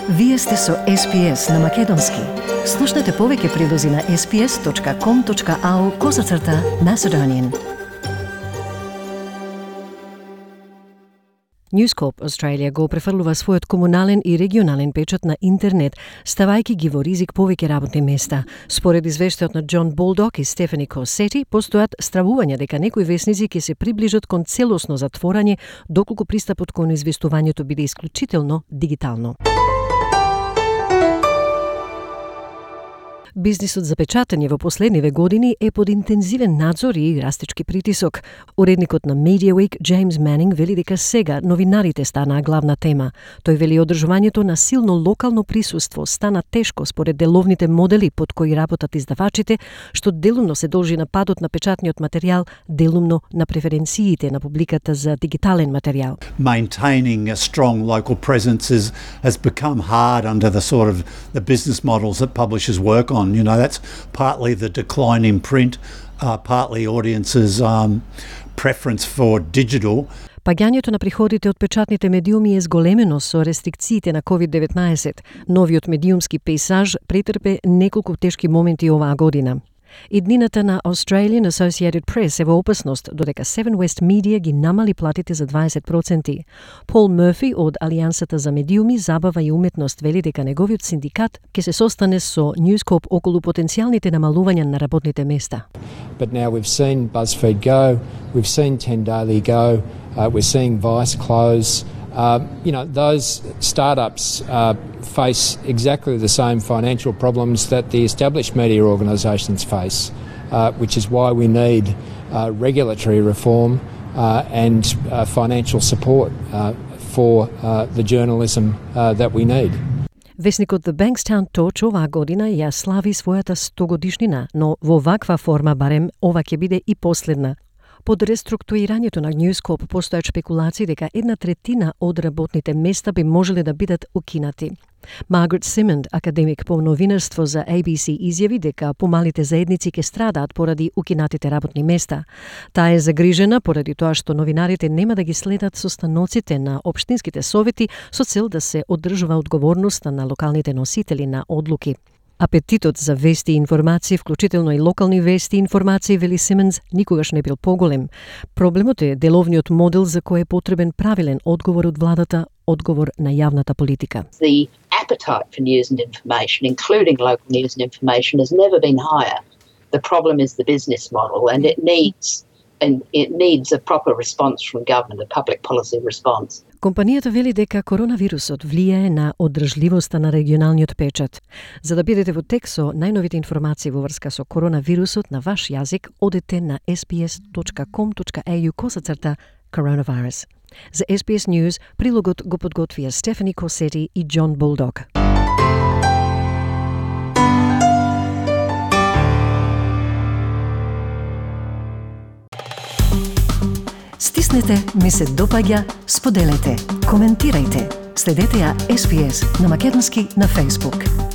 Вие сте со SPS на Македонски. Слушнете повеќе прилози на sps.com.au/Macedonian. News Corp Australia го префрлува својот комунален и регионален печат на интернет, ставајќи ги во ризик повеќе работни места. Според извештајот на Џон Болдок и Стефани Косети, постојат стравувања дека некои весници ќе се приближат кон целосно затворање, доколку пристапот кон известувањето биде исклучително дигитално. Бизнисот за печатање во последниве години е под интензивен надзор и растечки притисок. Уредникот на Media Week, Джеймс Манинг, вели дека сега новинарите станаа главна тема. Тој вели одржувањето на силно локално присуство стана тешко според деловните модели под кои работат издавачите, што делумно се должи на падот на печатниот материјал, делумно на преференциите на публиката за дигитален материјал. Maintaining a strong local presence has become hard under the sort of the business models that publishers work on. You know, that's partly the decline in print, partly audiences' preference for digital. Паѓањето на приходите од печатните медиуми е зголемено со рестрикциите на COVID-19. Новиот медиумски пейзаж претрпе неколку тешки моменти оваа година. Иднината на Australian Associated Press е во опасност, додека Seven West Media ги намали платите за 20%. Пол Мърфи од Алијансата за медиуми, забава и уметност вели дека неговиот синдикат ќе се состане со News Corp околу потенцијалните намалувања на работните места. But now we've seen BuzzFeed go, we've seen 10 Daily go, we're seeing Vice close. Those startups face exactly the same financial problems that the established media organisations face, which is why we need regulatory reform and financial support for the journalism that we need. Весникот The Bankstown Torch оваа година ја слави својата 100-годишнина, но во ваква форма барем ова ќе биде и последна. Под реструктурирањето на News Corp постојат шпекулации дека 1/3 од работните места би можеле да бидат укинати. Маргарет Симонд, академик по новинарство за ABC, изјави дека помалите заедници ќе страдаат поради укинатите работни места. Таа е загрижена поради тоа што новинарите нема да ги следат состаноците на општинските совети со цел да се одржува одговорноста на локалните носители на одлуки. Апетитот за вести и информации, вклучително и локални вести и информации, вели Симонс, никогаш не бил поголем. Проблемот е деловниот модел за кој е потребен правилен одговор од владата, одговор на јавната политика. The appetite for news and information, including local news and information, has never been higher. The problem is the business model, and it needs a proper response from government, a public policy response. Компанијата вели дека коронавирусот влијае на одржливоста на регионалниот печат. За да бидете во тек со најновите информации во врска со коронавирусот на ваш јазик, одете на sps.com.au/coronavirus. За SBS News, прилогот го подготвија Стефани Косети и Џон Болдок. Стиснете, ми се допаѓа, споделете, коментирајте. Следете ја SPS на Македонски на Facebook.